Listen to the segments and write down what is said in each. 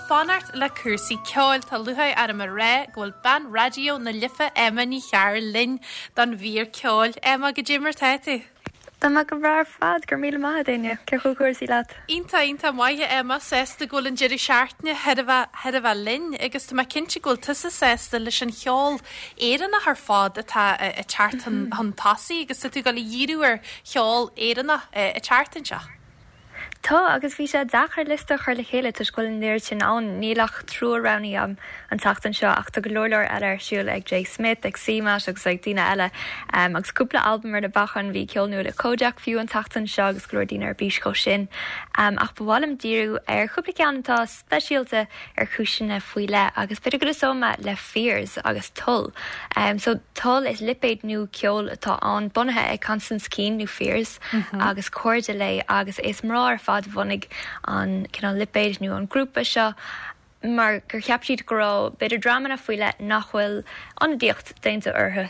fanacht le cúrsaí ceoil, tá lúcháir orm a rá go bhfuil bean Raidió na Life Emma Ní Chearúil linn don mhír ceoil. Emma, goidé mar tá tú? Tá mé go breá ar fad, go raibh míle maith agat Áine. Cén chaoi a bhfuil cúrsaí leat? Iontach, iontach maith a Emma, sásta go bhfuil an deireadh seachtaine chóir a bheith, chóir a bheith linn agus tá mé cinnte go bhfuil tusa sásta leis an cheol Éireannach ar fad atá ag teacht chun tosaigh agus tá tú ag dul a dhíriú ar cheol Éireannach an tseachtain seo. Tá, agus bhí sé deacair liosta a chur le chéile toisc go bhfuil an oiread sin ann. Níl ach triúr roghnaithe agam an tseachtain seo ach tá go leor leor eile ar siúl ag Jay Smith, ag CMAT agus ag daoine eile. Agus cúpla albam ar na bacáin, bhí ceol nua le Kojaque fiú an tseachtain seo agus go leor daoine ar bís dhó sin. Ach ba mhaith liom díriú ar chúpla ceann atá speisialta ar chúiseanna faoi leith agus b'fhéidir go dtosóidh mé le Fears agus Toll. So Toll is lipéad nua ceoil atá ann, bunaithe ag Constance Keane nó Fears agus cairde léi agus is mná ar fad a bhunaigh an cineál lipéad nó an grúpa seo mar gur cheap siad go raibh b'fhéidir dreamanna faoi leith nach bhfuil ionadaíocht déanta orthu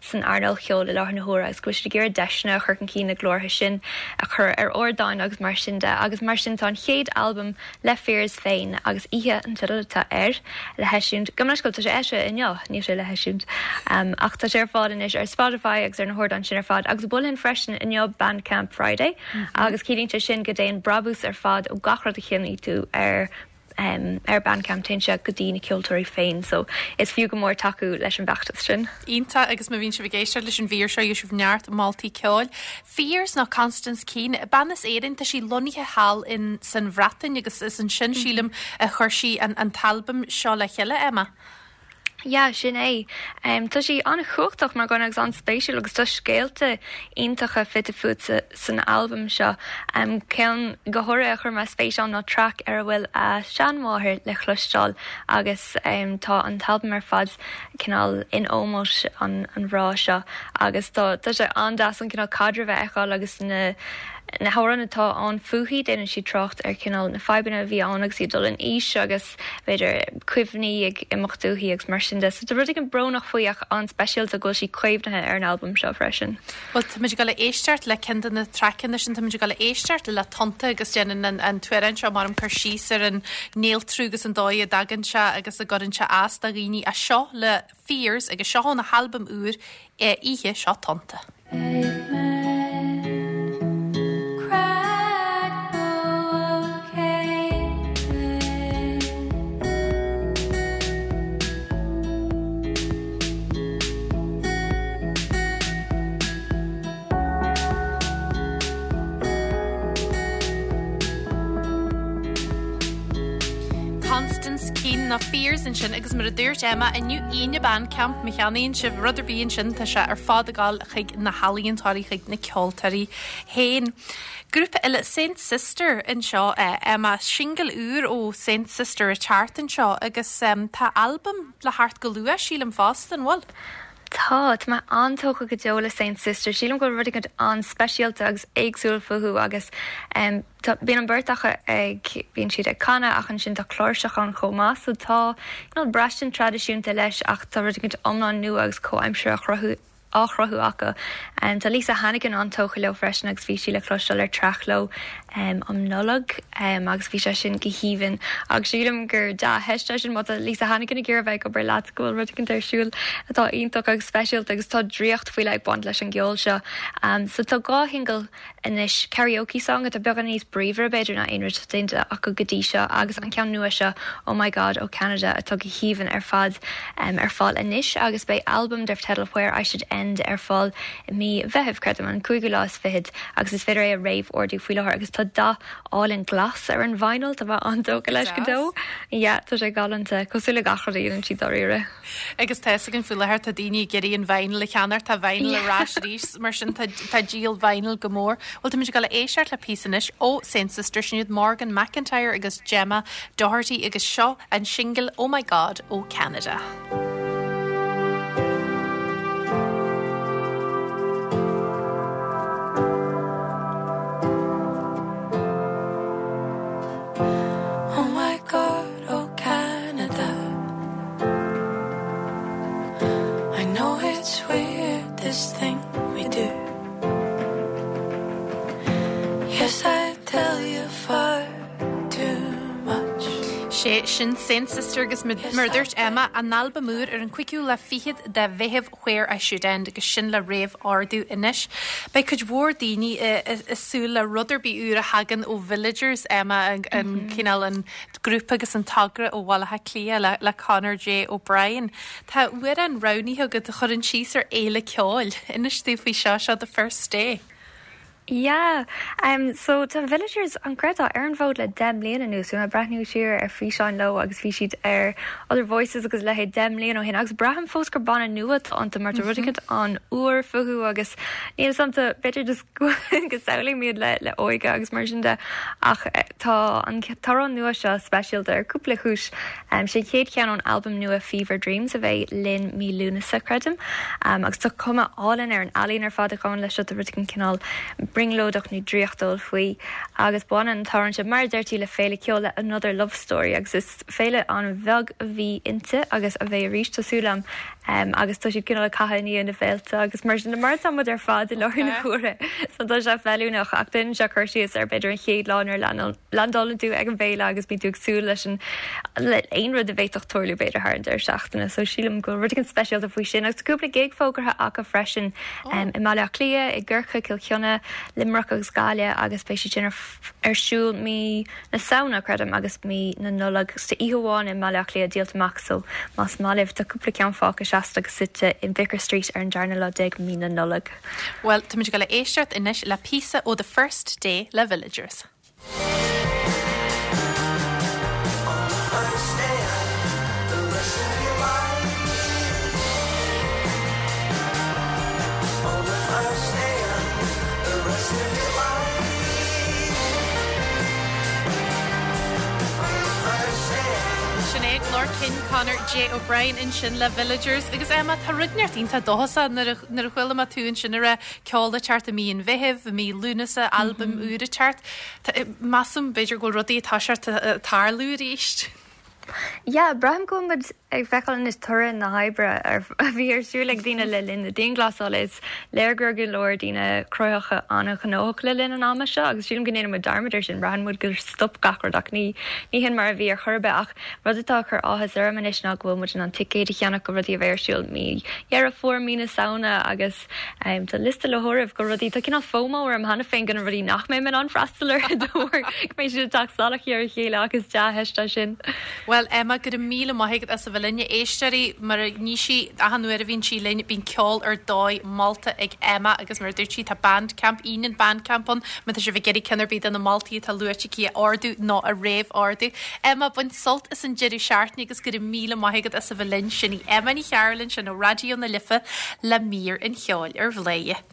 san earnáil cheoil i láthair na huaire agus go bhfuil siad ag iarraidh deiseanna a chur chun cinn na glórtha sin a chur ar ardáin agus mar sin de agus mar sin tá an chéad albam le Fears féin agus Oíche an teideal atá air le heisiúint, gabh mo leithscéal, tá sé eisithe inniu, níl sé le heisiúint ach tá sé ar fáil anois ar Spotify agus ar na hardáin sin ar fad agus mholfainn freisin inniu Bandcamp Friday agus ciallaíonn sé sin go dtéann brabús ar fad ó gach rud a cheannaíonn tú ar ar Bandcamp téann sé go dtí na ceoltóirí féin so is fiú go mór tacú leis an bhfeachtas sin. Iontach agus má bhíonn sibh ag éisteacht leis an mhír seo gheobhaidh sibh neart moltaí ceoil. Fears nó Constance Keane, bean as Éirinn, tá sí lonnaithe thall in san Bhreatain agus is ansin sílim a chuir sí an an t-albam seo le chéile, Emma. Yeah, sin é. Tá sí an-chumhachtach mar dhuine agus an-spéisiúil agus tá scéalta iontacha fite fuaite san albam seo. Ceann go háirithe a chuir mé spéis ann ná traic ar a bhfuil a seanmháthair le cloisteáil agus tá an t-albam ar fad cineál in ómós an mhná seo agus tá tá sé an-deas an cineál caidreamh a fheiceáil agus na na hamhráin atá ann fúithi, déanann siad trácht ar chineál na fadhbanna a bhí ann agus í ag dul in aois agus b'fhéidir cuimhní ag imeacht uaithi agus mar sin de. So tá rud éigin brónach faoi ach an-speisialta go bhfuil sí caomhnaithe ar an albam seo freisin. Bhuel, táimid ag dul a éisteacht le ceann de na traiceanna sin, táimid ag dul a éisteacht le Tonnta agus déanann an an t-amhrán seo mar cur síos ar an néaltrú agus an dóigh a dtagann sé agus a gcuireann sé as do dhaoine. Ach seo le Fears agus seo óna halbam úr Oíche, seo Tonnta. Constance Keane nó Fears ansin agus mar a dúirt Emma inniu Aoine Bandcamp má cheannaíonn sibh rud ar bith ansin tá sé ar fad ag dul chuig na healaíontóirí chuig na ceoltóirí féin. Grúpa eile Saint Sister anseo Emma, singil úr ó Saint Sister ag teacht anseo agus tá albam le theacht go luath sílim fosta, an bhfuil? Tá, tá mé an-tógtha go deo le Saint Sister. Sílim go bhfuil rud éigin an-speisialta agus éagsúil fúthu agus tá, bíonn an bheirt acu ag, bíonn siad ag canadh ach ansin tá cláirseach ann chomh maith so tá cineál braistint traidisiúnta leis ach tá rud éigin iomlán nua agus comhaimseartha á chruthú á chruthú acu. Tá Lisa Hannigan an-tógtha leo freisin agus bhí sí le cloisteáil ar traic leo um Nollaig agus bhí sé sin go haoibhinn agus sílim gur dea-theist é sin má tá Lisa Hannigan ag iarraidh bheith ag obair leat go bhfuil rud éicint ar siúl atá iontach agus speisialta agus tá draíocht faoi leith ag baint leis an gceol seo. So tá 2 shingil anois, Karaoke Song atá beagán níos bríomhaire b'fhéidir ná aon rud déanta acu go dtí seo agus an ceann nua seo Oh My God ó Ceanada atá go haoibhinn ar fad ar fáil anois agus beidh albam darb teideal Where I Should End ar fáil i mí Mheithimh, creidim, an cúigiú lá is fichead agus is féidir é a réamh-ordú faoi láthair agus tá dath álainn glas ar an vinyl, tá mé an-tógtha leis go deo. Yeah, tá sé galánta, cosúil le gach rud a dhéanann siad dáiríre. Agus tá fhios againn faoi láthair tá daoine ag iarraidh an vinyl a cheannacht, tá vinyl ar ais arís, mar sin tá tá díol vinyl go mór. Bhuel táimid ag dul a éisteacht le píosa anois ó Saint Sister, sin iad Morgan McIntyre agus Gemma Doherty agus seo an singil Oh My God ó Ceanada. Oh my God. Oh Canada I know it's weird this thing we do Yes I tell you far too much. Sé. Sin Saint Sister agus mar a dúirt Emma, an albam úr ar an cúigiú lá fichead de Mheitheamh Where I Should End agus sin le réamh-ordú anois. Beidh cuid mhór daoine ag súil le rud ar bith úr a thagann ó Villagers, Emma, an cineál an grúpa agus an togra ó Bhaile Átha Cliath le Conor J O'Brien. Tá amhrán roghnaithe agat a chuireann síos ar fhéile ceoil. Inis dúinn faoi seo, seo The First Day. Yeah, um so tá Villagers, an gcreidfeá, ar an bhfód le 10 mbliana anuas. Bhí mé ag breathnú siar ar físeáin leo agus bhí siad ar Other Voices agus a leithéid 10 mbliana ó shin agus braithim fós gur banna nua atá iontu mar tá rud éicint an-úr fúthu agus níl 'fhios a'm b'fhéidir just go samhlaím iad le le óige agus mar sin de ach tá an t-amhrán nua seo speisialta ar cúpla cúis. Sé an chéad cheann ón albam nua Fever Dreams a bheidh linn mí Lúnasa, creidim. Agus tá cuma álainn ar an ealaín ar fad a ghabhann leis seo, tá rud éigin cineál brionglóideach nó draíochtúil faoi. Agus baineann an t-amhrán seo, mar a deir tú, le féile ceoil, le Another Love Story agus is féile an-bheag a bhí inti agus a bheidh arís, tá súil agam. Agus tá siad cineál ag caitheamh i ndiaidh na féilte agus mar sin de, mar atá muid ar fad i láthair na huaire. So tá sé feiliúnach ach déanann sé cur síos ar b'fhéidir an chéad lá nuair a landálann tú ag an bhféile agus bíonn tú ag súil leis an le aon rud a bhféadfadh tarlú b'fhéidir thar an deireadh seachtaine. So sílim go bhfuil rud éigin speisialta faoi sin. Agus tá cúpla gig fógartha acu freisin i mBaile Átha Cliath, i gCorcaigh, Cill Chainnigh, Luimneach agus Gaillimh agus beidh siad sin ar ar siúl mí na Samhna, creidim, agus mí na Nollag. Agus tá oíche amháin i mBaile Átha Cliath díolta amach so más maith libh tá cúpla ceann fágtha seasta agus suite in Vicar Street ar an darna lá déag mí na Nollag. Bhuel, táimid ag dul a éisteacht anois le píosa ó The First Day le Villagers. Sin é glór cinn Conor J O'Brien ansin le Villagers agus Emma tá rud inteacht iontach dóchasach nuair a nuair a chuala mé tú ansin ag rá ceol ag teacht i mí an Mheithimh, i mí Lúnasa, albam úr ag teacht. Measaim b'fhéidir go bhfuil rudaí ag toiseacht ag tarlú arís. Yeah, braithim go bhfuil muid ag feiceáil anois toradh na hoibre a bhí ar siúl ag daoine le linn na dianghlasála. Is léir go raibh go leor daoine cruthaitheacha an-ghnóthach le linn an ama seo agus sílim go ndéanann muid dearmad air sin. Braitheann muid gur stop gach rud ach ní ní hin mar a bhí ar chor ar bith. Ach rud atá ag cur áthas orm anois ná go bhfuil muid in ann ticéid a cheannach go rudaí a bheidh ar siúl mí Dheireadh Fómhair, mí na Samhna agus Tá liosta le háireamh go rudaí, tá cineál FOMO orm cheana féin go na rudaí nach mbeidh mé in ann freastal orthu de bharr go mbeidh siad ag teacht salach ar a chéile ach is dea-theist é sin. Bhuel Emma, go raibh míle maith agat as a bheith linn. A éisteoirí, mar a ní sí, achan uair a bhíonn sí linn, bíonn ceol ar dóigh molta ag Emma agus mar a dúirt sí, tá Bandcamp, Aoine an Bandcamp ann má tá sibh ag iarraidh ceann ar bith de na moltaí atá luaite aici a ordú nó a réamh-ordú. Emma, bain sult as an deireadh seachtaine agus go raibh míle maith agat as a bheith linn. Sin í Emma Ní Chearúil ansin ó Raidió na Life le mír an cheoil ar Bhladhaire.